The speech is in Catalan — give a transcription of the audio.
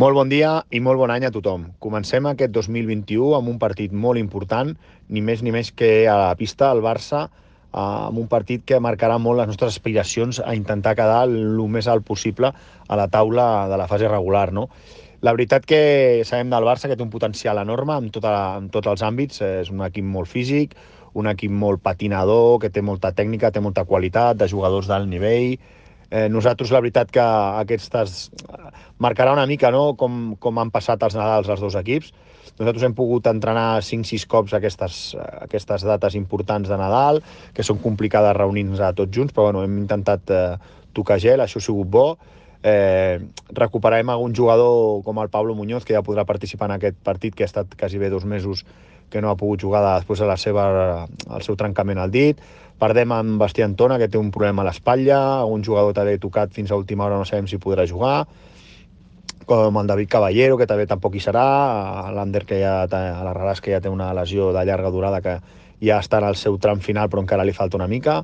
Molt bon dia i molt bon any a tothom. Comencem aquest 2021 amb un partit molt important, ni més ni menys que a la pista del Barça, amb un partit que marcarà molt les nostres aspiracions a intentar quedar el més alt possible a la taula de la fase regular, no? La veritat que sabem del Barça que té un potencial enorme en tots els àmbits. És un equip molt físic, un equip molt patinador, que té molta tècnica, té molta qualitat, de jugadors d'alt nivell. Nosaltres, la veritat que aquestes marcarà una mica, no?, com han passat els Nadals els dos equips. Nosaltres hem pogut entrenar 5-6 cops aquestes dates importants de Nadal, que són complicades reunir-nos tots junts, però bueno, hem intentat tocar gel, això ha sigut bo. Recuperarem algun jugador com el Pablo Muñoz, que ja podrà participar en aquest partit, que ha estat quasi bé 2 mesos que no ha pogut jugar després de el seu trencament al dit. Perdem amb Bastí Antona, que té un problema a l'espatlla, un jugador també tocat fins a última hora, no sabem si podrà jugar, com el David Caballero, que també tampoc hi serà, l'Ander, que ja a l'Arrelàs, que ja té una lesió de llarga durada, que ja està en el seu tram final, però encara li falta una mica.